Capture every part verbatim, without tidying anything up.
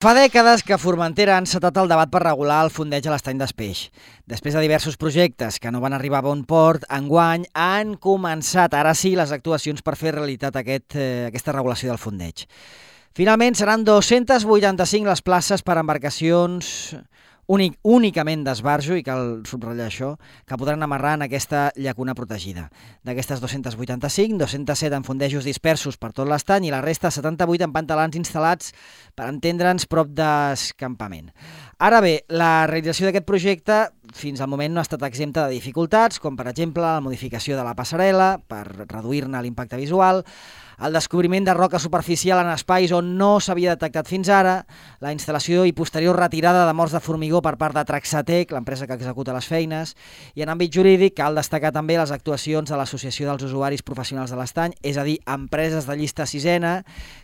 Fa dècades que a Formentera ha encetat el debat per regular el fondeig a l'estany d'Espeix. Després de diversos projectes que no van arribar a bon port, enguany han començat, ara sí, les actuacions per fer realitat aquest, eh, aquesta regulació del fondeig. Finalment seran dos-centes vuitanta-cinc les places per a embarcacions únic, únicament d'esbarjo, i cal subratllar això, que podran amarrar en aquesta llacuna protegida. D'aquestes dos-centes vuitanta-cinc, dos-cents set en fondejos dispersos per tot l'estany i la resta setanta-vuit en pantalans instal·lats, per entendre'ns, prop d'escampament. Ara bé, la realització d'aquest projecte fins al moment no ha estat exempta de dificultats, com per exemple la modificació de la passarel·la per reduir-ne l'impacte visual, el descobriment de roca superficial en espais on no s'havia detectat fins ara, la instal·lació i posterior retirada de morts de formigó per part de Traxatec, l'empresa que executa les feines, i en àmbit jurídic cal destacar també les actuacions de l'Associació dels Usuaris Professionals de l'Estany, és a dir, empreses de llista sisena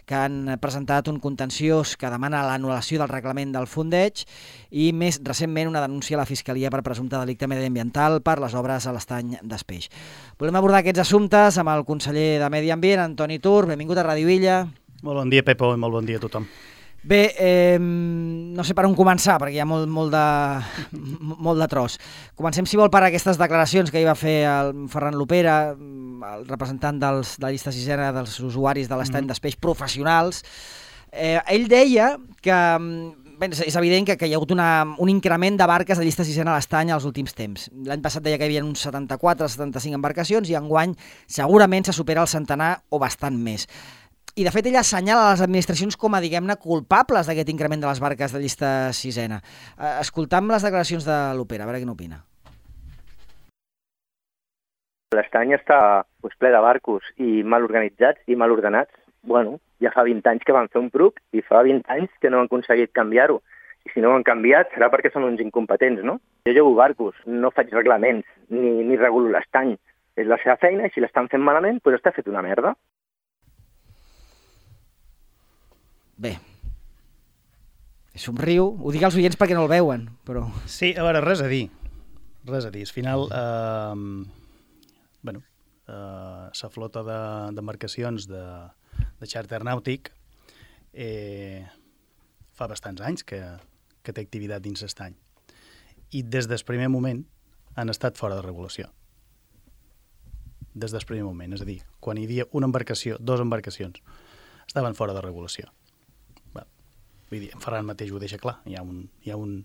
que han presentat un contenciós que demana l'anul·lació del reglament del fondeig i més recentment una denúncia a la Fiscalia per presumpte delicte mediambiental per les obres a l'estany d'Espeix. Volem abordar aquests assumptes amb el conseller de Medi Ambient, Antoni Tur. Benvingut a Ràdio Illa. Molt bon dia, Pepo, i molt bon dia a tothom. Bé, eh, no sé per on començar, perquè hi ha molt, molt, de, molt de tros. Comencem, si vol, per aquestes declaracions que hi va fer el Ferran Lopera, el representant dels, de la llista sisena dels usuaris de l'estany mm-hmm. d'Espeix professionals. Eh, ell deia que bé, és evident que, que hi ha hagut una, un increment de barques de llista sisena a l'estany als últims temps. L'any passat deia que hi havia uns setanta-quatre setanta-cinc embarcacions i enguany segurament se supera el centenar o bastant més. I de fet ella assenyala les administracions com a, diguem-ne, culpables d'aquest increment de les barques de llista sisena. Eh, escoltam les declaracions de l'Opera, a veure què n'opina. L'estany està pues, ple de barcos i mal organitzats i mal ordenats. Bueno, ja fa vint anys que van fer un pruc i fa vint anys que no han aconseguit canviar-ho. I si no ho han canviat serà perquè són uns incompetents, no? Jo llevo barcos, no faig reglaments, ni, ni regulo l'estany. És la seva feina i si l'estan fent malament, doncs està fet una merda. Bé, somriu, ho dic als oients perquè no el veuen, però... Sí, a veure, res a dir, res a dir. Al final, eh, bueno, eh, la flota d'embarcacions de, de xàrter nàutic eh, fa bastants anys que, que té activitat dins l'estany. I des del primer moment han estat fora de regulació. Des del primer moment, és a dir, quan hi havia una embarcació, dues embarcacions, estaven fora de regulació. Vull dir, en Ferran mateix ho deixa clar. Hi ha un, hi ha un,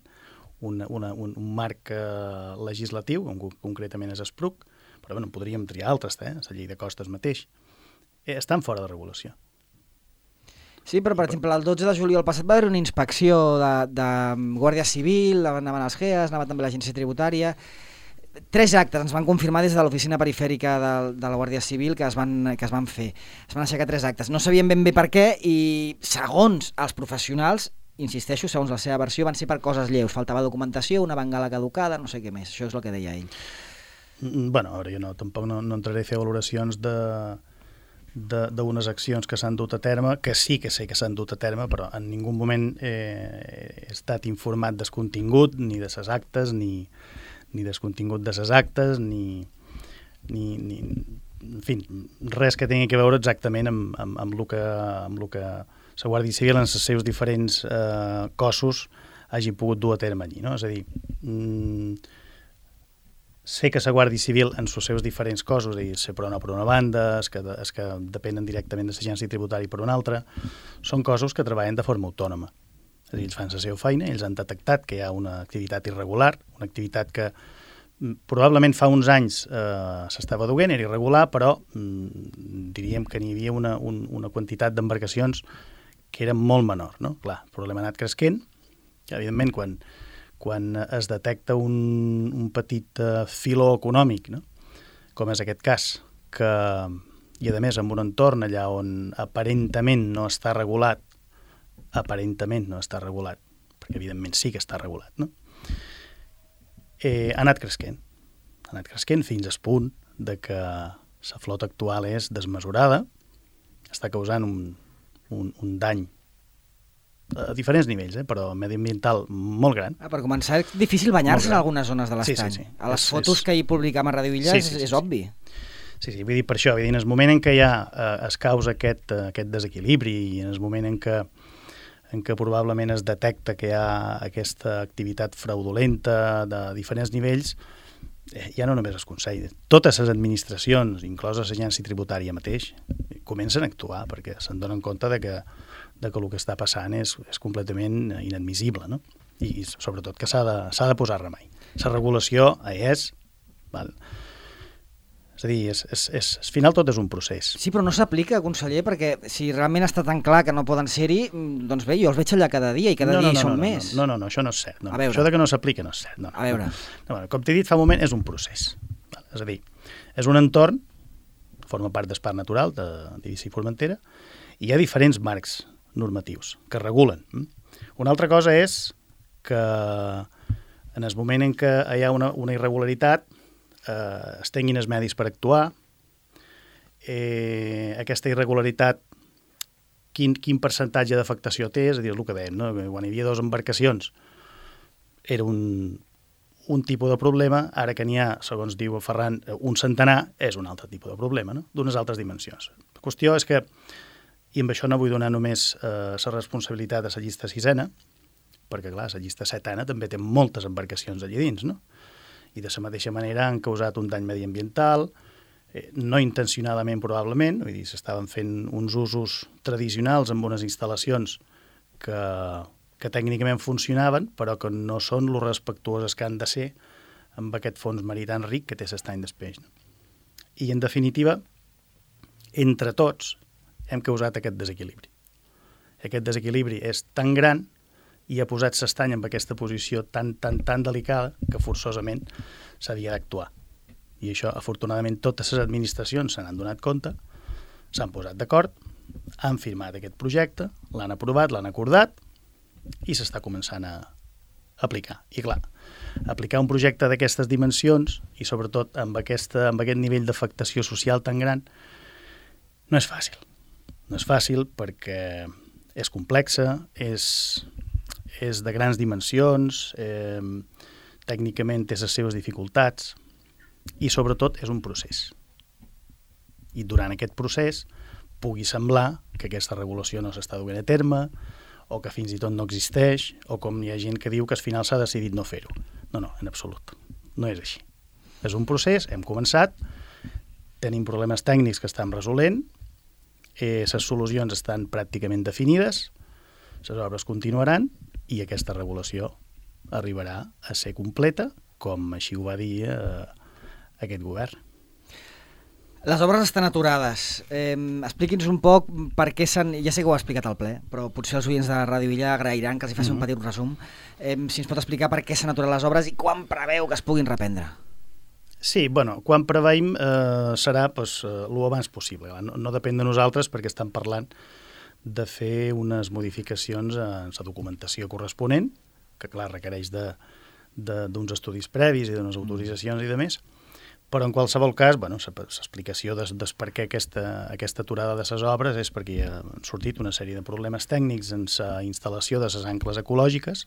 un, una, un, un marc eh, legislatiu, on concretament és Espruc, però bueno, podríem triar altres, eh? La llei de costes mateix. Eh, estan fora de regulació. Sí, però per exemple, el dotze de juliol passat va haver una inspecció de, de Guàrdia Civil, anaven els G E A S, anava també l'Agència Tributària. Tres actes ens van confirmar des de l'oficina perifèrica de, de la Guàrdia Civil que es, van, que es van fer. Es van aixecar tres actes. No sabien ben bé per què i, segons els professionals, insisteixo, segons la seva versió, van ser per coses lleus. Faltava documentació, una bengala caducada, no sé què més. Això és el que deia ell. Bueno, ara jo no, tampoc no, no entraré a fer valoracions de d'unes accions que s'han dut a terme, que sí que sé que s'han dut a terme, però en ningú moment eh, he estat informat del contingut, ni de ses actes, ni... ni descontingut de ses actes, ni, ni, ni en fi, res que tingui que veure exactament amb, amb, amb el que, amb el que la Guàrdia Civil en els seus diferents eh, cossos hagi pogut dur a terme allí, no? És a dir, mm, sé que la Guàrdia Civil en els seus diferents cossos, és a dir, ser per una per una banda, els que, els que depenen directament de l'agència tributària per una altra, són cossos que treballen de forma autònoma. És a dir, ells fan la seva feina, ells han detectat que hi ha una activitat irregular, una activitat que probablement fa uns anys eh, s'estava duent, era irregular, però mm, diríem que n'hi havia una, un, una quantitat d'embarcacions que era molt menor, no? Clar, el problema ha anat creixent, que evidentment quan, quan es detecta un, un petit uh, filó econòmic, no? Com és aquest cas, que, i a més en un entorn allà on aparentament no està regulat, aparentament no està regulat, perquè evidentment sí que està regulat, no? Eh, ha anat creixent. Ha anat creixent fins al punt de que la flota actual és desmesurada, està causant un, un, un dany a diferents nivells, eh, però mediambiental molt gran. Ah, per començar, és difícil banyar-se en algunes zones de l'estany. Sí, sí, sí. A les és, fotos és... que hi publicam a Ràdio Illa sí, sí, sí, és, és obvi. Sí, sí, vull dir per això, vull dir, en el moment en què ja eh, es causa aquest, eh, aquest desequilibri i en el moment en què en què probablement es detecta que hi ha aquesta activitat fraudulenta de diferents nivells, eh, ja no només el Consell, totes les administracions, inclosa l'agència tributària mateix, comencen a actuar perquè se'n donen compte de que, de que el que està passant és, és completament inadmissible, no? I, i sobretot que s'ha de, s'ha de posar remei. La regulació és... Val? És a dir, és, és, és, al final tot és un procés. Sí, però no s'aplica, conseller, perquè si realment està tan clar que no poden ser-hi, doncs bé, jo els veig allà cada dia i cada no, no, dia no, hi són no, més. No, no, no, això no és cert. No. Això de que no s'aplica no és cert. No, no, a veure. No, no, com t'he dit fa un moment, és un procés. Val? És a dir, és un entorn, forma part del Parc Natural de d'Eivissa i Formentera, i hi ha diferents marcs normatius que regulen. Una altra cosa és que en el moment en què hi ha una, una irregularitat eh, es tinguin els medis per actuar, eh, aquesta irregularitat quin, quin percentatge d'afectació té, és a dir, és el que dèiem, no? Quan hi havia dues embarcacions era un, un tipus de problema, ara que n'hi ha, segons diu Ferran, un centenar, és un altre tipus de problema, no? D'unes altres dimensions. La qüestió és que, i amb això no vull donar només eh, la responsabilitat de la llista sisena, perquè, clar, la llista setena també té moltes embarcacions allà dins, no? I de la mateixa manera han causat un dany mediambiental, eh, no intencionadament probablement, vull dir, s'estaven fent uns usos tradicionals amb unes instal·lacions que, que tècnicament funcionaven, però que no són lo respectuoses que han de ser amb aquest fons marí tan ric que té l'estany del peix. No? I, en definitiva, entre tots hem causat aquest desequilibri. Aquest desequilibri és tan gran i ha posat l'estany en aquesta posició tan, tan, tan delicada que forçosament s'havia d'actuar. I això, afortunadament, totes les administracions se n'han donat compte, s'han posat d'acord, han firmat aquest projecte, l'han aprovat, l'han acordat i s'està començant a aplicar. I clar, aplicar un projecte d'aquestes dimensions i sobretot amb, aquesta, amb aquest nivell d'afectació social tan gran no és fàcil. No és fàcil perquè és complexa, és, és de grans dimensions, eh, tècnicament té les seves dificultats i sobretot és un procés. I durant aquest procés pugui semblar que aquesta regulació no s'està duent a terme o que fins i tot no existeix o com hi ha gent que diu que al final s'ha decidit no fer-ho. No, no, en absolut. No és així. És un procés, hem començat, tenim problemes tècnics que estem resolent, eh, les solucions estan pràcticament definides, les obres continuaran i aquesta regulació arribarà a ser completa, com així ho va dir eh, aquest govern. Les obres estan aturades. Eh, expliqui'ns un poc per què s'han... Ja sé que ho ha explicat al ple, però potser els oients de Ràdio Villa agrairan que els hi faci mm-hmm. un petit resum. Eh, si ens pot explicar per què s'han aturat les obres i quan preveu que es puguin reprendre. Sí, bueno, quan preveiem eh, serà pues, eh, lo abans possible. No, no depèn de nosaltres perquè estem parlant de fer unes modificacions en la documentació corresponent, que clar, requereix de, de, d'uns estudis previs i d'unes autoritzacions i de més, però en qualsevol cas, bueno, l'explicació de, de per què aquesta, aquesta aturada de les obres és perquè han sortit una sèrie de problemes tècnics en la instal·lació de les ancles ecològiques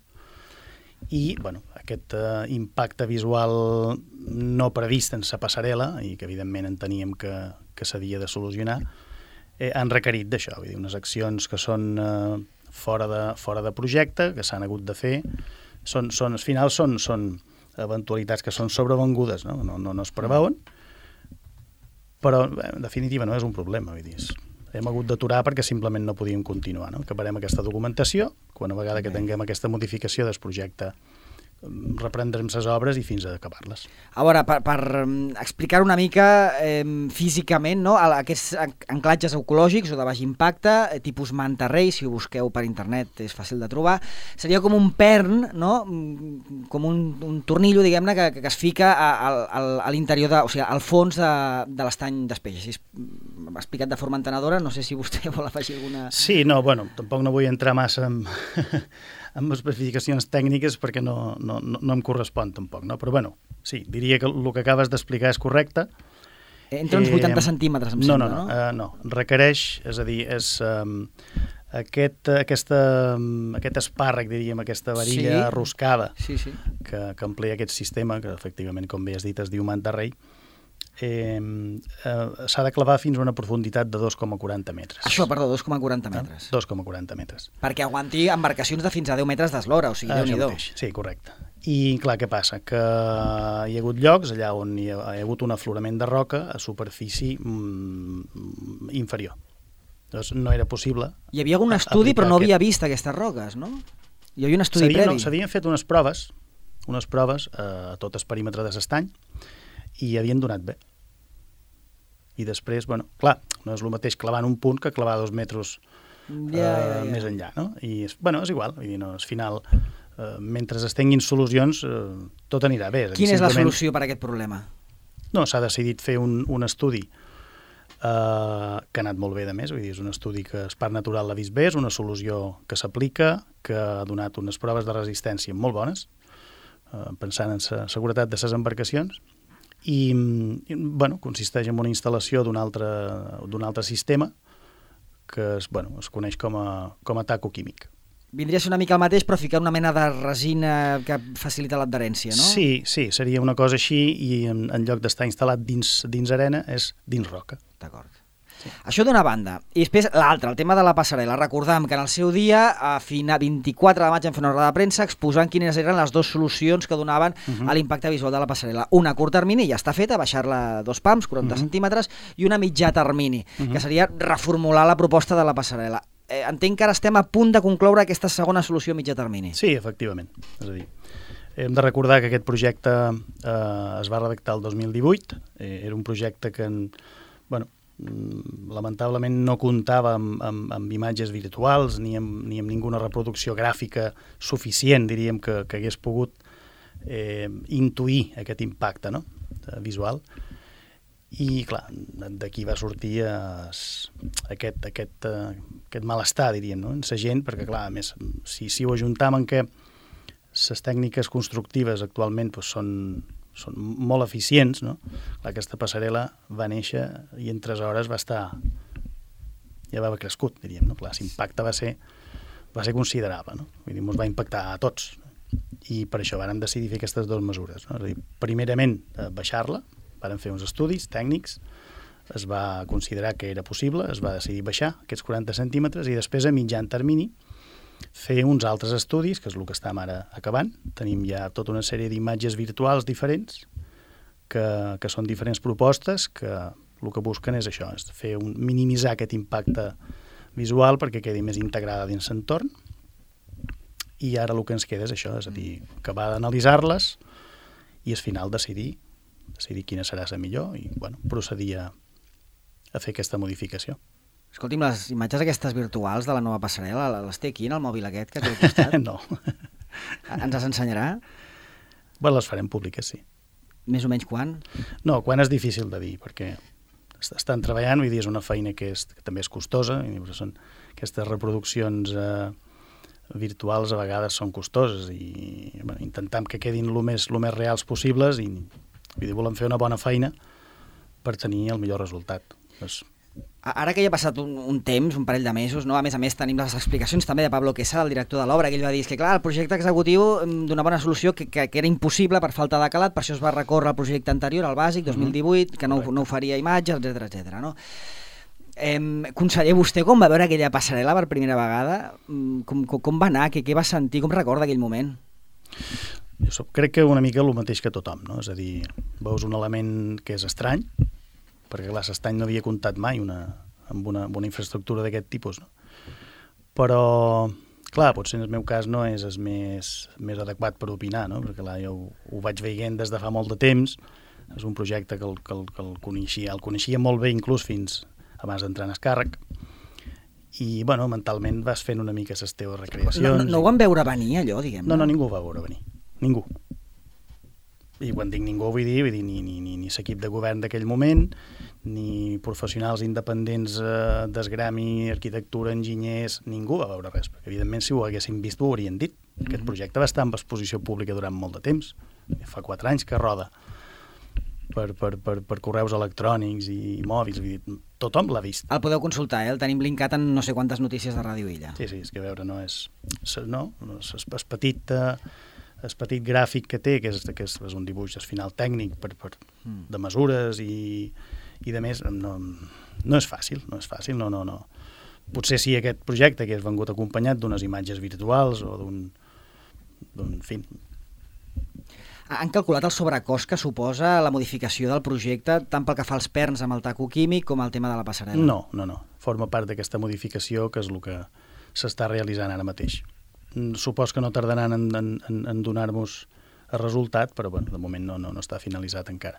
i bueno, aquest uh, impacte visual no previst en la passarel·la i que evidentment enteníem que, que s'havia de solucionar, eh, han requerit d'això, vull dir, unes accions que són uh, fora, de, fora de projecte, que s'han hagut de fer, són, són, al final són... són eventualitats que són sobrevengudes, no? No, no, no es preveuen, però en definitiva no és un problema, vull dir, hem hagut d'aturar perquè simplement no podíem continuar, no? Acabarem aquesta documentació, quan a vegada que tinguem aquesta modificació del projecte reprendrem les obres i fins a acabar-les. A veure, per, per explicar una mica eh, físicament, no? Aquests anclatges ecològics o de baix impacte, eh, tipus manta rei, si ho busqueu per internet és fàcil de trobar, seria com un pern, no? Com un, un tornillo, diguem-ne, que, que es fica a, a, a l'interior, de, o sigui, al fons de, de l'estany d'Espeix. Així explicat de forma entenedora, no sé si vostè vol afegir alguna... Sí, no, bueno, tampoc no vull entrar massa en... amb especificacions tècniques perquè no, no, no, no em correspon tampoc, no? Però bueno, sí, diria que el que acabes d'explicar és correcte. Entre uns vuitanta eh, centímetres, em no, sembla, no? No, no, uh, no, requereix, és a dir, és um, aquest, aquesta, um, aquest espàrrec, diríem, aquesta varilla sí. roscada sí, sí. Que, que emplia aquest sistema, que efectivament, com bé has dit, es diu manta rei, eh, eh, s'ha de clavar fins a una profunditat de dos coma quaranta metres. Això, perdó, dos coma quaranta metres. dos coma quaranta metres. Perquè aguanti embarcacions de fins a deu metres d'eslora, o sigui, Ah, Déu-n'hi-do. Sí, correcte. I clar, què passa? Que hi ha hagut llocs allà on hi ha, hi ha hagut un aflorament de roca a superfície mm, inferior. Llavors no era possible. Hi havia algun estudi, però no aquest... havia vist aquestes roques, no? Hi havia un estudi S'havien, previ. no, s'havien fet unes proves, unes proves eh, a tot el perímetre de l'estany, i havien donat bé. I després, bueno, clar, no és el mateix clavar en un punt que clavar dos metres Ja, eh, ja, ja. més enllà, no? I, és, bueno, és igual, vull dir, no, al final, eh, mentre es tinguin solucions, eh, tot anirà bé. És a dir, Quina és la simplement- solució per a aquest problema? No, s'ha decidit fer un, un estudi eh, que ha anat molt bé, de més, vull dir, és un estudi que el Parc Natural l'ha vist bé, és una solució que s'aplica, que ha donat unes proves de resistència molt bones, eh, pensant en la seguretat de les embarcacions, i, i bueno, consisteix en una instal·lació d'un altre, d'un altre sistema que es, bueno, es coneix com a, com a taco químic. Vindria a ser una mica el mateix, però ficar una mena de resina que facilita l'adherència, no? Sí, sí, seria una cosa així, i en, en lloc d'estar instal·lat dins, dins arena, és dins roca. D'acord. Sí. Això d'una banda. I després l'altra, el tema de la passarel·la. Recordam que en el seu dia, a final vint-i-quatre de maig, vam fer una roda de premsa exposant quines eren les dues solucions que donaven uh-huh. a l'impacte visual de la passarel·la. Una a curt termini, ja està feta, baixar-la dos pams, quaranta uh-huh. centímetres, i una a mitjà termini, uh-huh. que seria reformular la proposta de la passarel·la. Eh, entenc que ara estem a punt de concloure aquesta segona solució a mitjà termini. Sí, efectivament. És a dir, hem de recordar que aquest projecte eh, es va redactar el dos mil divuit. Eh, era un projecte que, en, bueno, lamentablement no comptava amb, amb, amb imatges virtuals ni amb, ni amb ninguna reproducció gràfica suficient, diríem, que, que hagués pogut eh, intuir aquest impacte, no?, visual. I, clar, d'aquí va sortir es, aquest, aquest, uh, aquest malestar, diríem, no?, en la gent, perquè, clar, a més, si, si ho ajuntam en què les tècniques constructives actualment doncs, són, són molt eficients, no? Clar, aquesta passarel·la va néixer i en tres hores va estar... ja va haver crescut, diríem, no? Clar, l'impacte va ser, va ser considerable, no? Vull dir, ens va impactar a tots. I per això vàrem decidir fer aquestes dues mesures, no? És a dir, primerament, baixar-la, vàrem fer uns estudis tècnics, es va considerar que era possible, es va decidir baixar aquests quaranta centímetres i després a mitjan termini fer uns altres estudis, que és el que estem ara acabant. Tenim ja tota una sèrie d'imatges virtuals diferents, que, que són diferents propostes, que el que busquen és això, és fer un, minimitzar aquest impacte visual perquè quedi més integrada dins l'entorn. I ara el que ens queda és això, és a dir, acabar d'analitzar-les i al final decidir, decidir quina serà la millor i bueno, procedir a, a fer aquesta modificació. Escolti'm, les imatges aquestes virtuals de la nova passarel·la, les té aquí en el mòbil aquest que té al costat? No. Ens les ensenyarà? Bueno, les farem públiques, sí. Més o menys quan? No, quan és difícil de dir, perquè estan treballant, vull dir, és una feina que, és, que també és costosa, i són aquestes reproduccions eh, virtuals a vegades són costoses i bueno, intentem que quedin el més, el més reals possibles i vull dir, volem fer una bona feina per tenir el millor resultat. Doncs, ara que ja ha passat un, un temps, un parell de mesos, no? A més a més tenim les explicacions també de Pablo Quesada, el director de l'obra, que ell va dir que clar, el projecte executiu donava una solució que, que, que era impossible per falta de calat, per això es va recórrer al projecte anterior, al bàsic, dos mil divuit, que no, no oferia imatges, etcètera, etcètera, no? Eh, conseller, vostè com va veure aquella passarel·la per primera vegada? Com, com, com va anar? Què, què va sentir? Com recorda aquell moment? Jo soc, crec que una mica el mateix que tothom, no? És a dir, veus un element que és estrany, perquè clar, l'estany no havia comptat mai una, amb, una, amb una infraestructura d'aquest tipus, no? Però, clar, potser en el meu cas no és el més, més adequat per opinar, no? Perquè clar, jo ho, ho vaig veient des de fa molt de temps, és un projecte que el, que el, que el, coneixia, el coneixia molt bé inclús fins abans d'entrar en el càrrec, i, bueno, mentalment vas fent una mica les teves recreacions. No, no, no ho van veure venir, allò, diguem-ne? No, no, ningú ho va veure venir. Ningú. I quan dic ningú vull dir, vull dir ni, ni, ni, ni l'equip de govern d'aquell moment, ni professionals independents eh, d'esgrami, arquitectura, enginyers, ningú va veure res, perquè evidentment si ho haguessin vist ho haurien dit. Mm-hmm. Aquest projecte va estar en exposició pública durant molt de temps, fa quatre anys que roda per, per, per, per correus electrònics i mòbils, vull dir, tothom l'ha vist. El podeu consultar, eh? El tenim linkat en no sé quantes notícies de Ràdio Illa. Sí, sí, és que a veure, no és... No, no és, és petit... Eh, el petit gràfic que té, que és, que és, és un dibuix al final tècnic per, per, de mesures i, i de més, no, no és fàcil, no és fàcil, no, no, no. Potser sí aquest projecte que és vengut acompanyat d'unes imatges virtuals o d'un, d'un, en fi. Han calculat el sobrecost que suposa la modificació del projecte, tant pel que fa als perns amb el taco químic com el tema de la passarel·la? No, no, no. Forma part d'aquesta modificació que és el que s'està realitzant ara mateix. Supos que no tardaran en, en, en donar-nos el resultat, però bueno, de moment no, no, no està finalitzat encara.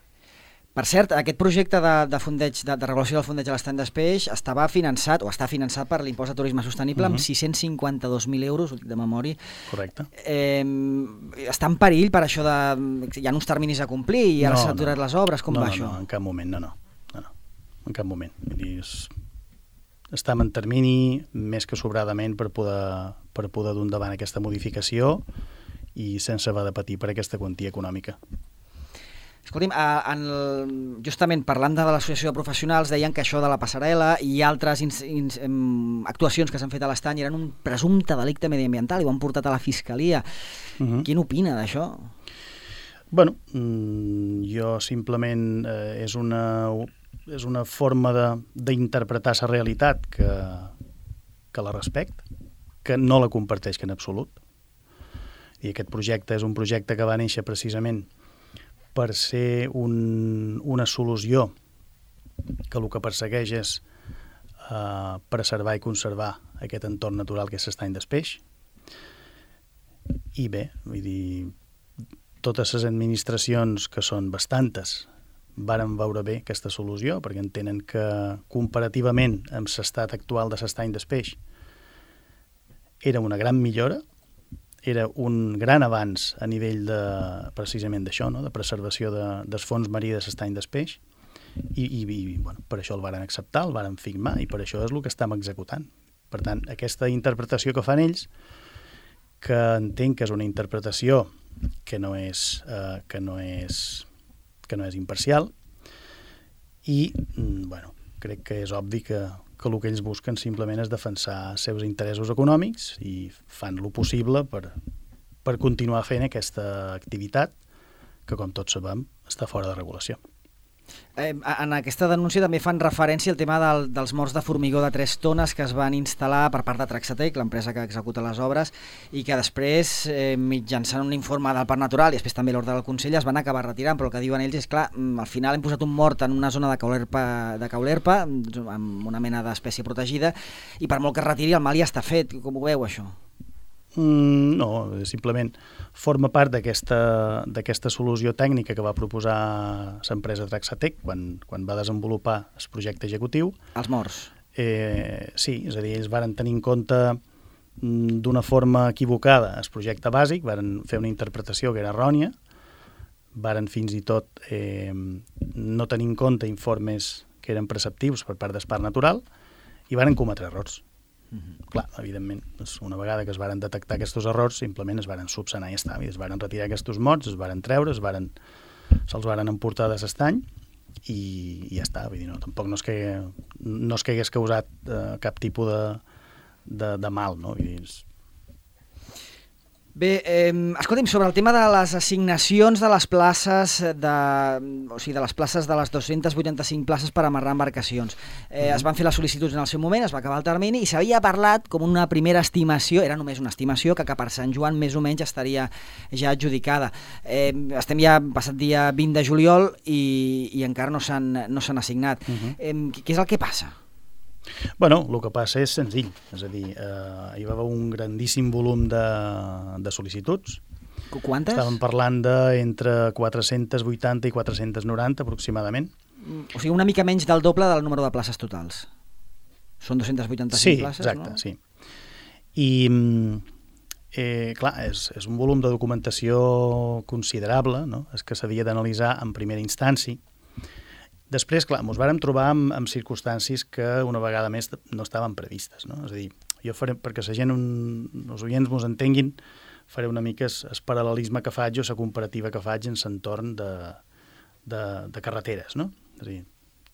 Per cert, aquest projecte de, de, fondeig, de, de regulació del fondeig a l'estany d'Espeix estava finançat, o està finançat per l'impost de turisme sostenible, uh-huh. amb sis-cents cinquanta-dos mil euros, ho dic de memòria. Correcte. Eh, està en perill per això de... Hi ha uns terminis a complir i ara no, s'han aturat no. les obres, com no, va no, això? No, en cap moment, no, no. no, no. En cap moment. Vull dir, és... estem en termini més que sobradament per poder, per poder dur endavant aquesta modificació i sense haver de patir per aquesta quantia econòmica. Escolti'm, en el, justament parlant de l'associació de professionals, deien que això de la passarel·la i altres ins, ins, em, actuacions que s'han fet a l'estany eren un presumpte delicte mediambiental i ho han portat a la Fiscalia. Uh-huh. Quin opina d'això? Bueno, jo simplement eh, és una... és una forma d'interpretar la realitat que, que la respecta, que no la comparteix en absolut. I aquest projecte és un projecte que va néixer precisament per ser un, una solució que el que persegueix és eh, preservar i conservar aquest entorn natural que és l'estany d'Espeix. I bé, vull dir, totes les administracions, que són bastantes, varen veure bé aquesta solució, perquè entenen que comparativament amb l'estat actual de l'estany d'Espeix era una gran millora, era un gran avanç a nivell de, precisament d'això, no? De preservació de, dels fons marí de l'estany d'Espeix, i, i, i bueno, per això el varen acceptar, el varen firmar, i per això és el que estem executant. Per tant, aquesta interpretació que fan ells, que entenc que és una interpretació que no és, eh, que no és que no és imparcial, i bueno, crec que és obvi que, que el que ells busquen simplement és defensar els seus interessos econòmics i fan lo possible per, per continuar fent aquesta activitat que, com tots sabem, està fora de regulació. Eh, en aquesta denúncia també fan referència al tema del, dels morts de formigó de tres tones que es van instal·lar per part de Traxatec, l'empresa que executa les obres, i que després, eh, mitjançant un informe del Parc Natural i després també l'ordre del Consell, es van acabar retirant, però el que diuen ells és, clar, al final hem posat un mort en una zona de Caulerpa, de Caulerpa amb una mena d'espècie protegida, i per molt que es retiri el mal ja està fet. Com ho veu, això? Mm, no, simplement forma part d'aquesta d'aquesta solució tècnica que va proposar l'empresa Traxatec quan, quan va desenvolupar el projecte executiu. Els morts. Eh, sí, és a dir, ells varen tenir en compte mm, d'una forma equivocada el projecte bàsic, varen fer una interpretació que era errònia, varen fins i tot eh, no tenir en compte informes que eren preceptius per part del Parc Natural i varen cometre errors. Uh-huh. Clar, evidentment, una vegada que es varen detectar aquests errors, simplement es varen subsanar i ja està. Es varen retirar aquests mots, es varen treure, es varen, se'ls varen emportar de l'estany i, i ja està. Vull dir, no, tampoc no és que, no és que hagués causat eh, cap tipus de, de, de mal, no? Vull dir, és... Bé, eh, escolti'm, sobre el tema de les assignacions de les places de, o sigui, de les places de les dues-centes vuitanta-cinc places per amarrar embarcacions. Eh, es van fer les sol·licituds en el seu moment, es va acabar el termini i s'havia parlat com una primera estimació, era només una estimació, que, que per Sant Joan més o menys estaria ja adjudicada. Eh, estem ja passat dia vint de juliol i, i encara no s'han no s'han assignat. Uh-huh. Eh, què és el que passa? Bueno, el que passa és senzill, és a dir, eh, hi va haver un grandíssim volum de, de sol·licituds. Quantes? Estàvem parlant d'entre quatre-centes vuitanta i quatre-centes noranta aproximadament. O sigui, una mica menys del doble del número de places totals. Són dues-centes vuitanta-cinc sí, places, exacte, no? Sí, i eh, clar, és, és un volum de documentació considerable, no? És que s'havia d'analitzar en primera instància. Després, clar, ens vàrem trobar amb, amb circumstàncies que una vegada més no estaven previstes, no? És a dir, jo faré, perquè la gent, un, els oients ens entenguin, faré una mica el paral·lelisme que faig o la comparativa que faig en l'entorn de, de, de carreteres, no? És a dir,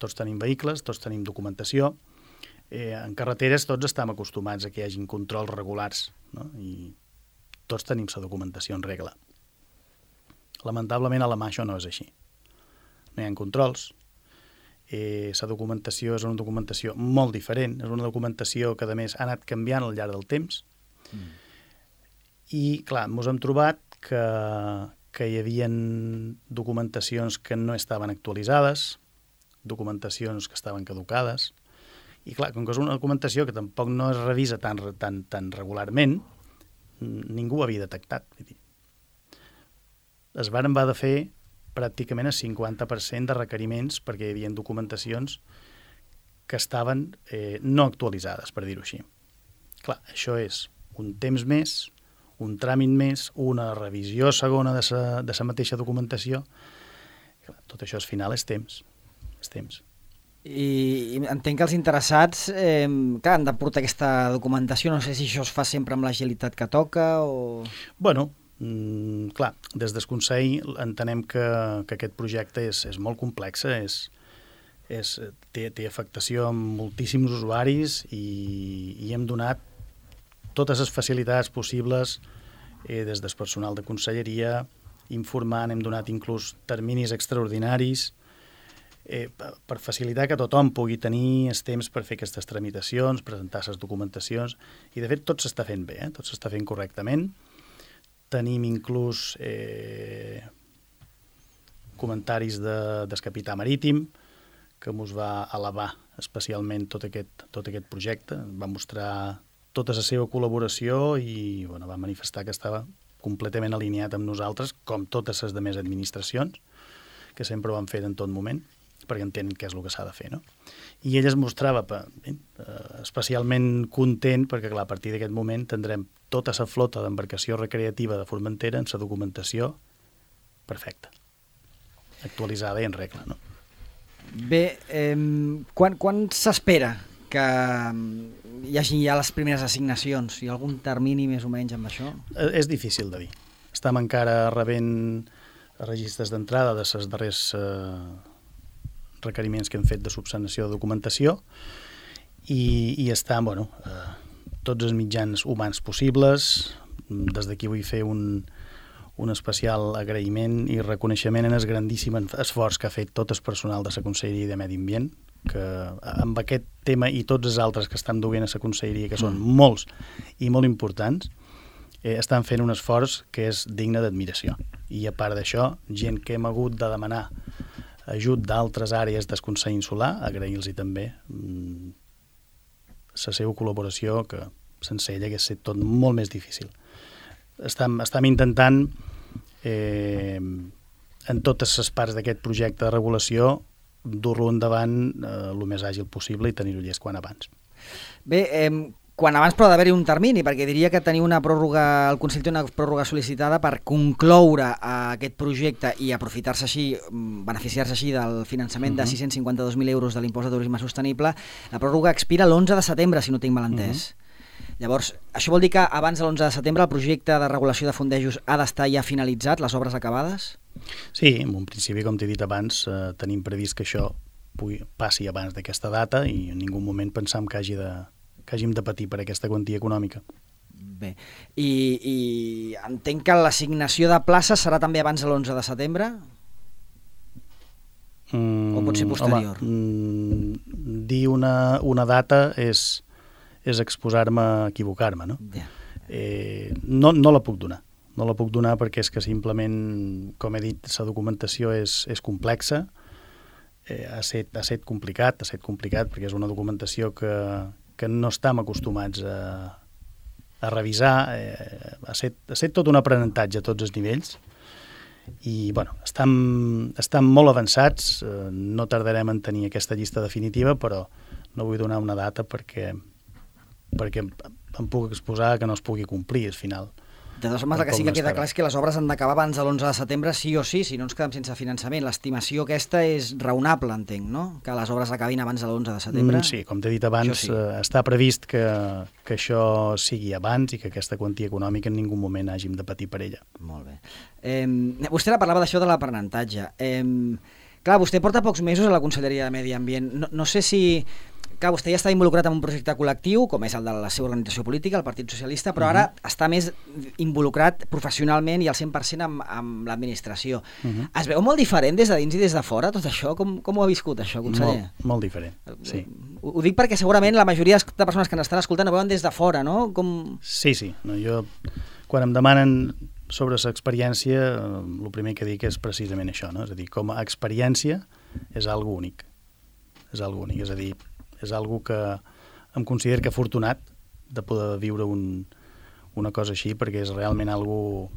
tots tenim vehicles, tots tenim documentació, eh, en carreteres tots estem acostumats a que hi hagin controls regulars, no? I tots tenim la documentació en regla. Lamentablement a la mà això no és així. No hi ha controls. Eh, la documentació és una documentació molt diferent, és una documentació que a més ha anat canviant al llarg del temps. Mm. I clar, ens hem trobat que, que hi havia documentacions que no estaven actualitzades, documentacions que estaven caducades, i clar, com que és una documentació que tampoc no es revisa tan, tan, tan regularment, ningú ho havia detectat. Vull dir, es varen haver de fer pràcticament el cinquanta per cent de requeriments perquè hi havia documentacions que estaven eh, no actualitzades, per dir-ho així. Clar, això és un temps més, un tràmit més, una revisió segona de sa, de sa mateixa documentació. Clar, tot això al final és temps. És temps. I entenc que els interessats eh, clar, han de portar aquesta documentació. No sé si això es fa sempre amb l'agilitat que toca o... Bueno, mm, clar, des del Consell entenem que, que aquest projecte és, és molt complex, és, és, té, té afectació amb moltíssims usuaris i, i hem donat totes les facilitats possibles eh, des del personal de conselleria, informant, hem donat inclús terminis extraordinaris eh, per facilitar que tothom pugui tenir el temps per fer aquestes tramitacions, presentar les documentacions, i de fet tot s'està fent bé, eh? Tot s'està fent correctament. Tenim inclús eh, comentaris de, del capità marítim, que ens va elevar especialment tot aquest, tot aquest projecte, va mostrar tota la seva col·laboració i bueno, va manifestar que estava completament alineat amb nosaltres, com totes les demés administracions, que sempre ho han fet en tot moment, perquè entenen què és el que s'ha de fer, no? I ell es mostrava eh, especialment content, perquè clar, a partir d'aquest moment tindrem tota la flota d'embarcació recreativa de Formentera en la documentació perfecta, actualitzada i en regla, no? Bé, eh, quan, quan s'espera que hi hagi ja les primeres assignacions? Hi ha algun termini més o menys amb això? És difícil de dir. Estem encara rebent registres d'entrada de les darrers eh, requeriments que hem fet de subsanació de documentació i, i estan, bueno, eh, tots els mitjans humans possibles. Des d'aquí vull fer un, un especial agraïment i reconeixement en el grandíssim esforç que ha fet tot el personal de la Conselleria de Medi Ambient, que amb aquest tema i tots els altres que estan duent a la Conselleria, que són mm. molts i molt importants, eh, estan fent un esforç que és digne d'admiració. I a part d'això, gent que hem hagut de demanar ajut d'altres àrees del Consell Insular, agrair-los també mm, la seva col·laboració, que sense ella hagués estat tot molt més difícil. Estem, estem intentant, eh, en totes les parts d'aquest projecte de regulació, dur-lo endavant eh, el més àgil possible i tenir-ho llest quan abans. Bé, eh, quan abans però ha d'haver-hi un termini, perquè diria que tenir una pròrroga, el Consell té una pròrroga sol·licitada per concloure aquest projecte i aprofitar-se així, beneficiar-se així del finançament uh-huh. de sis-cents cinquanta-dos mil euros de l'impost de turisme sostenible. La pròrroga expira l'onze de setembre, si no tinc mal entès. Uh-huh. Llavors, això vol dir que abans de l'onze de setembre el projecte de regulació de fondejos ha d'estar ja finalitzat, les obres acabades? Sí, en un principi, com t'he dit abans, eh, tenim previst que això pugui, passi abans d'aquesta data i en ningú moment pensam que, hagi de, que hàgim de patir per aquesta quantia econòmica. Bé, i, i entenc que l'assignació de places serà també abans de l'onze de setembre? Mm, o pot ser posterior? Home, mm, dir una, una data és... és exposar-me a equivocar-me, no? Yeah. Eh, no? No la puc donar. No la puc donar perquè és que simplement, com he dit, la documentació és, és complexa, eh, ha set, ha set complicat, ha set complicat perquè és una documentació que, que no estem acostumats a, a revisar, eh, ha, set, ha set tot un aprenentatge a tots els nivells i, bueno, estem, estem molt avançats, eh, no tardarem en tenir aquesta llista definitiva, però no vull donar una data perquè perquè em puc exposar que no es pugui complir al final. De totes formes, el que sí que queda clar és que les obres han d'acabar abans de l'onze de setembre, sí o sí, si no ens quedem sense finançament. L'estimació aquesta és raonable, entenc, no? Que les obres acabin abans de l'onze de setembre. Mm, sí, com t'he dit abans, sí. eh, està previst que, que això sigui abans i que aquesta quantia econòmica en ningú moment hàgim de patir per ella. Molt bé. Eh, vostè parlava d'això de l'aprenentatge. Eh, clar, vostè porta pocs mesos a la Conselleria de Medi Ambient. No, no sé si... clar, vostè ja està involucrat en un projecte col·lectiu, com és el de la seva organització política, el Partit Socialista, però ara uh-huh. està més involucrat professionalment i al cent per cent amb, amb l'administració. Uh-huh. Es veu molt diferent des de dins i des de fora, tot això? Com, com ho ha viscut, això, conseller? Molt, molt diferent, sí. Ho, ho dic perquè segurament la majoria de persones que ens estan escoltant ho veuen des de fora, no? Com... Sí, sí. No, jo, quan em demanen sobre l'experiència, el primer que dic és precisament això, no? És a dir, com a experiència és algo únic. És algo únic, és a dir, és algo que em considero que afortunat de poder viure un, una cosa així, perquè és realment algo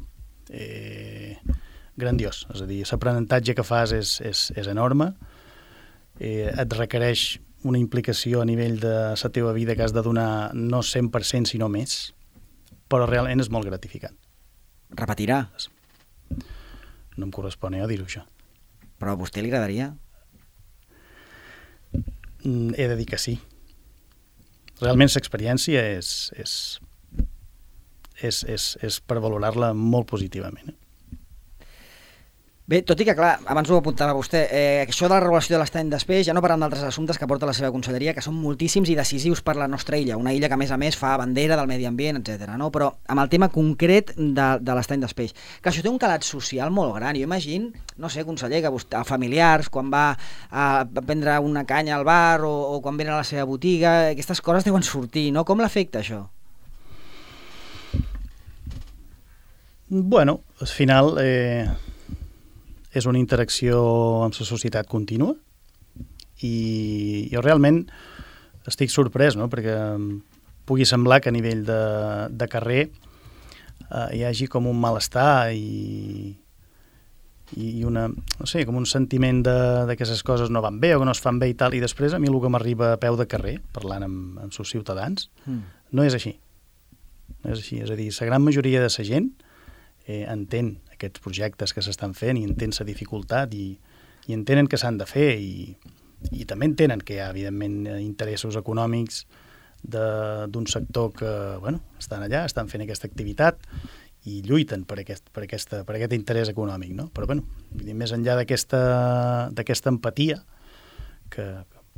eh, grandiós. És a dir, l'aprenentatge que fas és, és, és enorme, eh, et requereix una implicació a nivell de la teva vida que has de donar no cent per cent sinó més, però realment és molt gratificant. Repetirà? No em correspon a dir-ho, això. Però a vostè li agradaria? He de dir que sí. Realment l'experiència és, és, és, és, és per valorar-la molt positivament. Eh? Bé, tot i que, clar, abans ho apuntava vostè, eh, això de la regulació de l'estany d'espeix, ja no parlant d'altres assumptes que porta la seva conselleria, que són moltíssims i decisius per la nostra illa, una illa que, a més a més, fa bandera del medi ambient, etcètera. No? Però amb el tema concret de, de l'estany d'espeix, que això té un calat social molt gran. Jo imagino, no sé, conseller, que vostè, familiars, quan va a prendre una canya al bar o, o quan venen a la seva botiga, aquestes coses deuen sortir, no? Com l'afecta això? Bueno, al final... Eh... és una interacció amb la societat contínua i jo realment estic sorprès, no? Perquè pugui semblar que a nivell de, de carrer eh, hi hagi com un malestar i, i una, no sé, com un sentiment de, de que les coses no van bé o que no es fan bé i tal, i després a mi el que m'arriba a peu de carrer, parlant amb, amb els ciutadans, mm. no és així. No és així, és a dir, la gran majoria de la gent eh, entén aquests projectes que s'estan fent i entén la dificultat i, i entenen que s'han de fer i, i també entenen que hi ha, evidentment, interessos econòmics d'un sector que, bueno, estan allà, estan fent aquesta activitat i lluiten per aquest, per aquesta, per aquest interès econòmic, no? Però, bueno, més enllà d'aquesta d'aquesta empatia que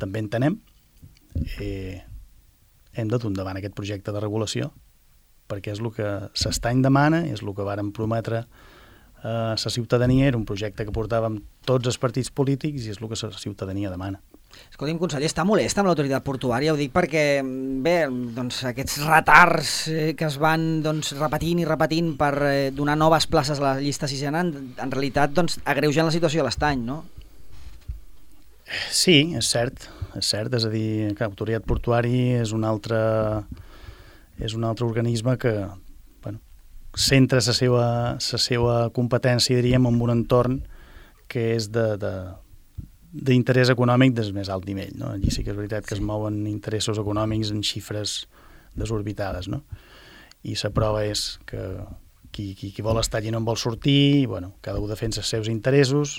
també entenem, eh, hem de dur endavant aquest projecte de regulació perquè és el que s'estany demana, és el que vàrem prometre a la ciutadania, era un projecte que portàvem tots els partits polítics i és el que la ciutadania demana. Escolti'm, conseller, està molest amb l'autoritat portuària? Ho dic perquè, bé, doncs, aquests retards que es van doncs, repetint i repetint per eh, donar noves places a la llista sisena, en, en realitat doncs, agreugen la situació de l'estany, no? Sí, és cert, és cert, és a dir, que l'autoritat portuària és un altre, és un altre organisme que centra la seva, la seva competència, diríem, en un entorn que és de, de, d'interès econòmic del més alt nivell. No? Allí sí que és veritat que es mouen interessos econòmics en xifres desorbitades. No? I la prova és que qui, qui, qui vol estar allí no en vol sortir, i, bueno, cada un defensa els seus interessos.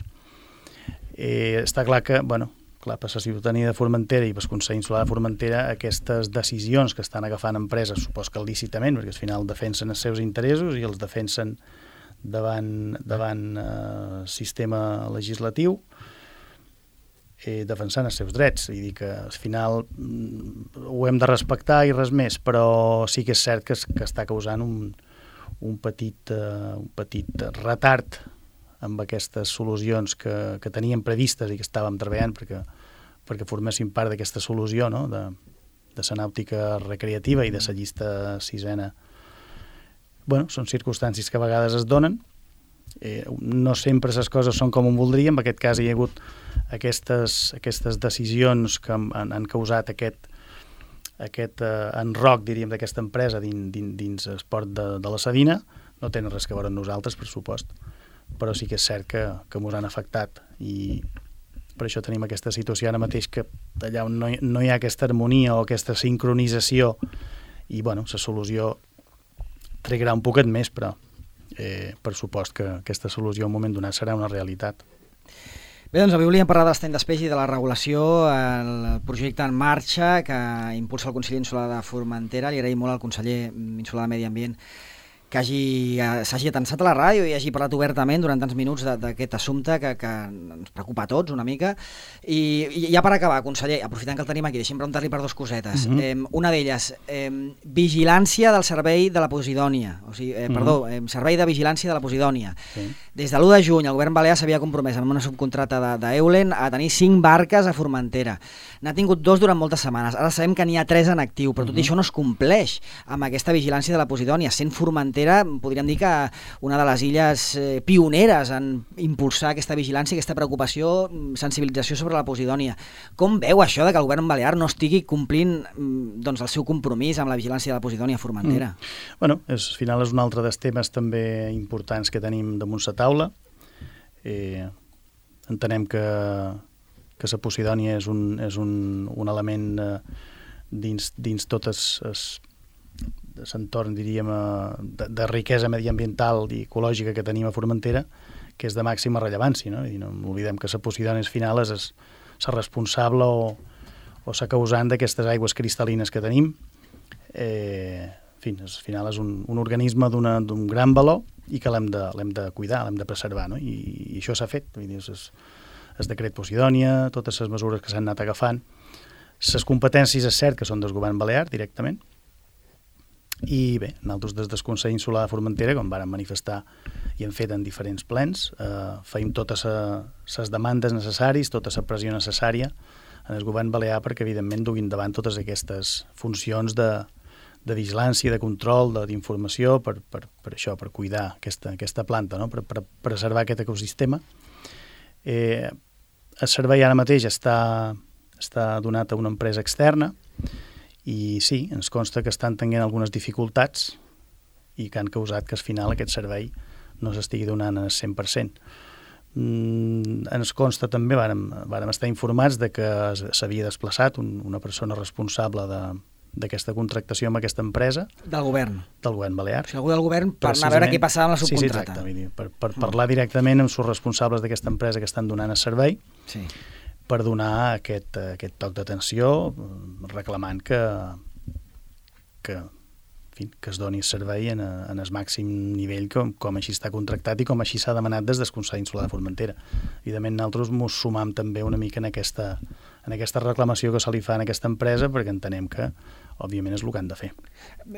Eh, està clar que, bueno, clar, per la ciutadania de Formentera i per el Consell Insular de Formentera, aquestes decisions que estan agafant empreses, supos que lícitament, perquè al final defensen els seus interessos i els defensen davant, davant eh, sistema legislatiu, eh, defensant els seus drets. I dir que al final mm, ho hem de respectar i res més, però sí que és cert que, que està causant un, un, petit, eh, un petit retard amb aquestes solucions que, que teníem previstes i que estàvem treballant perquè, perquè formessin part d'aquesta solució, no? de, de la nàutica recreativa i de la llista sisena. Bueno, són circumstàncies que a vegades es donen. Eh, no sempre les coses són com ho voldríem. En aquest cas hi ha hagut aquestes, aquestes decisions que han, han causat aquest, aquest eh, enroc, diríem, d'aquesta empresa dins, dins, dins l'esport de, de la Sabina. No tenen res que veure amb nosaltres, per supost, però sí que és cert que, que ens han afectat i per això tenim aquesta situació ara mateix que allà on no hi, no hi ha aquesta harmonia o aquesta sincronització i, bueno, la solució trigarà un poquet més, però eh, per supost que aquesta solució en un moment donat serà una realitat. Bé, doncs avui volíem parlar de l'estany d'espeix i de la regulació, el projecte en marxa que impulsa el Consell Insular de Formentera. Li agraïm molt al conseller insular de Medi Ambient que hagi, s'hagi atensat a la ràdio i hagi parlat obertament durant tants minuts d'aquest assumpte que, que ens preocupa a tots una mica. I, i ja per acabar, conseller, aprofitant que el tenim aquí, deixem preguntar-li per dues cosetes. Uh -huh. eh, una d'elles, eh, vigilància del servei de la Posidònia, o sigui, eh, uh -huh. perdó, eh, servei de vigilància de la Posidònia. Sí. Des de l'u de juny el govern balear s'havia compromès amb una subcontrata d'Eulen a tenir cinc barques a Formentera. N'ha tingut dos durant moltes setmanes. Ara sabem que n'hi ha tres en actiu, però tot uh -huh. això no es compleix amb aquesta vigilància de la Posidònia. Sent Formentera, podríem dir que una de les illes eh, pioneres en impulsar aquesta vigilància, aquesta preocupació, sensibilització sobre la Posidònia. Com veu això de que el govern balear no estigui complint doncs, el seu compromís amb la vigilància de la Posidònia a Formentera? Mm. Bueno, és, al final és un altre dels temes també importants que tenim damunt la taula. Eh, entenem que, que la Posidònia és un, és un, un element eh, dins, dins totes les l'entorn, diríem, de, de riquesa mediambiental i ecològica que tenim a Formentera, que és de màxima rellevància, no? I no oblidem que la Posidònia al final és la responsable o, o la causant d'aquestes aigües cristal·lines que tenim. Eh, en fi, al final és un, un organisme d'un gran valor i que l'hem de, l'hem de cuidar, l'hem de preservar, no? I, i això s'ha fet. Vull dir, és el decret Posidònia, totes les mesures que s'han anat agafant. Les competències és cert que són del govern balear directament, i bé, nosaltres des del Consell Insular de Formentera, com vàrem manifestar i hem fet en diferents plens, eh, feim totes les demandes necessàries, tota la pressió necessària en el govern balear perquè evidentment duguin davant totes aquestes funcions de, de vigilància, de control, d'informació per, per, per això, per cuidar aquesta, aquesta planta, no? per, per preservar aquest ecosistema. Eh, el servei ara mateix està, està donat a una empresa externa i sí, ens consta que estan tenint algunes dificultats i que han causat que al final aquest servei no s'estigui donant al cent per cent. Mm, ens consta també, vàrem, vàrem estar informats de que s'havia desplaçat un, una persona responsable d'aquesta contractació amb aquesta empresa. Del govern? Del govern balear. O sigui, algú del govern per anar a veure què passava amb la subcontrata. Sí, sí, exacte. Per, per mm. parlar directament amb els responsables d'aquesta empresa que estan donant el servei. Sí. Per donar aquest, aquest toc d'atenció, reclamant que, que, en fi, que es doni el servei en, a, en el màxim nivell com, com així està contractat i com així s'ha demanat des del Consell Insular de Formentera. Evidentment, nosaltres ens sumam també una mica en aquesta, en aquesta reclamació que se li fa a aquesta empresa perquè entenem que, òbviament, és el que han de fer.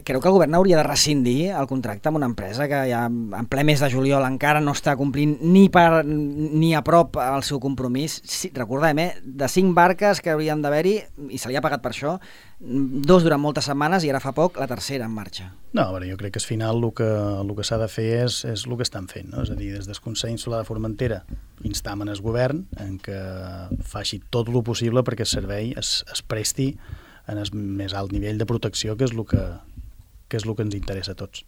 Creu que el govern hauria de rescindir el contracte amb una empresa que ja en ple mes de juliol encara no està complint ni, per, ni a prop el seu compromís? Sí, recordem, eh? De cinc barques que haurien d'haver-hi, i se li ha pagat per això, dos durant moltes setmanes i ara fa poc la tercera en marxa. No, a veure, jo crec que al final el que, el que s'ha de fer és, és el que estan fent, no? És a dir, des del Consell Insular de Formentera instam en el govern en que faci tot el possible perquè el servei es, es presti en el més alt nivell de protecció, que és el que, que, és el que ens interessa a tots.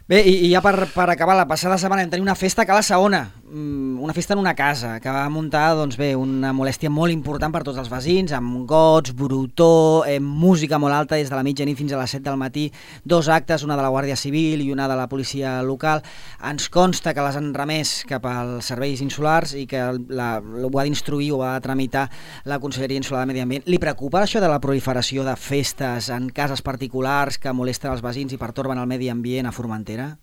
Bé, i, i ja per, per acabar, la passada setmana vam tenir una festa a Cala Saona, una festa en una casa, que va muntar doncs bé, una molèstia molt important per tots els veïns, amb gots, brutó, eh, música molt alta des de la mitjanit fins a les set del matí, dos actes, una de la Guàrdia Civil i una de la policia local. Ens consta que les han remès cap als serveis insulars i que la, ho ha d'instruir o ha de tramitar la Conselleria Insular de Medi Ambient. Li preocupa això de la proliferació de festes en cases particulars que molesten els veïns i pertorben el medi ambient a Formentera?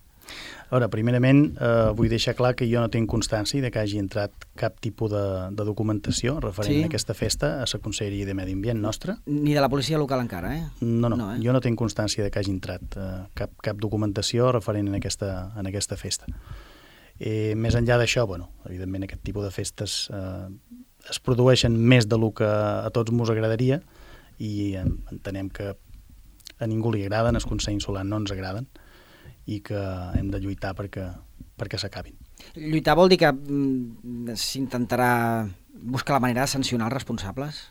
A veure, primerament eh, vull deixar clar que jo no tinc constància de que hagi entrat cap tipus de, de documentació referent sí. a aquesta festa a la Conselleria de Medi Ambient nostra. Ni de la policia local encara, eh? No, no, no eh? jo no tinc constància de que hagi entrat eh, cap, cap documentació referent a aquesta, en aquesta festa. Eh, més enllà d'això, bueno, evidentment aquest tipus de festes eh, es produeixen més de lo que a tots mos agradaria i eh, entenem que a ningú li agraden, als Consell Insular no ens agraden, i que hem de lluitar perquè, perquè s'acabin. Lluitar vol dir que mm, s'intentarà buscar la manera de sancionar els responsables?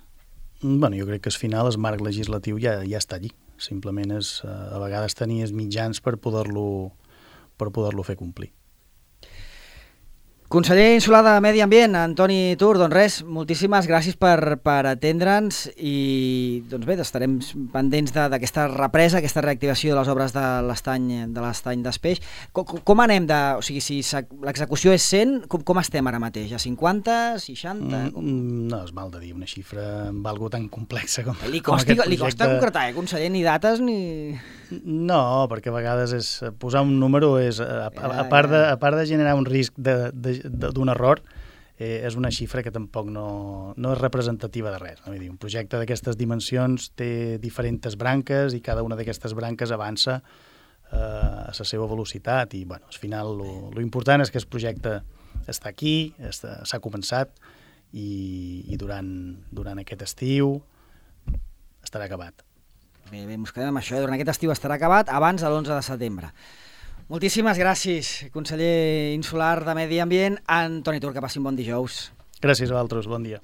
Bueno, jo crec que al final el marc legislatiu ja, ja està allí. Simplement és a vegades tenir els mitjans per poder-lo per poder-lo fer complir. Conseller insular de Medi Ambient, Antoni Tur, doncs res, moltíssimes gràcies per, per atendre'ns i doncs bé, estarem pendents d'aquesta represa, aquesta reactivació de les obres de l'estany de l'estany d'Espeix. Com, com anem de... O sigui, si l'execució és cent, com, com estem ara mateix? A cinquanta, seixanta? Mm, no, és mal de dir una xifra amb algo tan complexa com, li com costi, aquest projecte. Li costa concretar, eh, conseller, ni dates ni... No, perquè a vegades és, posar un número és, a, a, a, part, de, a part de generar un risc de, de d'un error, eh, és una xifra que tampoc no, no és representativa de res. No? Vull dir, un projecte d'aquestes dimensions té diferents branques i cada una d'aquestes branques avança eh, a la seva velocitat i bueno, al final lo important és que el projecte està aquí, s'ha començat i, i durant, durant aquest estiu estarà acabat. Bé, bé, ens quedem amb això. Durant aquest estiu estarà acabat abans de l'onze de setembre. Moltíssimes gràcies, conseller insular de Medi Ambient, Antoni Tur, que passi un bon dijous. Gràcies a vosaltres, bon dia.